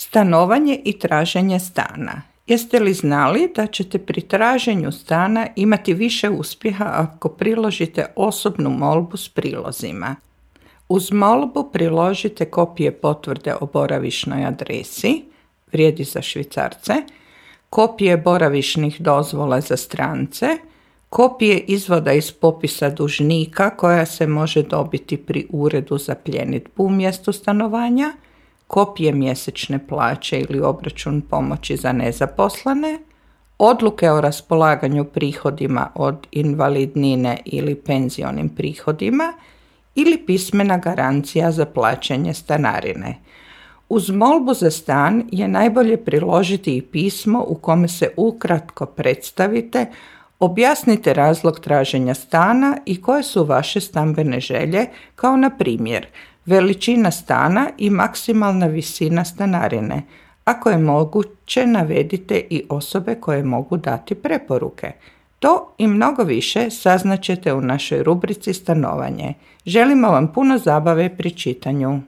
Stanovanje i traženje stana. Jeste li znali da ćete pri traženju stana imati više uspjeha ako priložite osobnu molbu s prilozima? Uz molbu priložite kopije potvrde o boravišnoj adresi, vrijedi za Švicarce, kopije boravišnih dozvola za strance, kopije izvoda iz popisa dužnika koja se može dobiti pri uredu za pljenidbu u mjestu stanovanja, kopije mjesečne plaće ili obračun pomoći za nezaposlene, odluke o raspolaganju prihodima od invalidnine ili penzionim prihodima ili pismena garancija za plaćanje stanarine. Uz molbu za stan je najbolje priložiti i pismo u kome se ukratko predstavite, objasnite razlog traženja stana i koje su vaše stambene želje, kao na primjer veličina stana i maksimalna visina stanarine. Ako je moguće, navedite i osobe koje mogu dati preporuke. To i mnogo više saznaćete u našoj rubrici Stanovanje. Želimo vam puno zabave pri čitanju.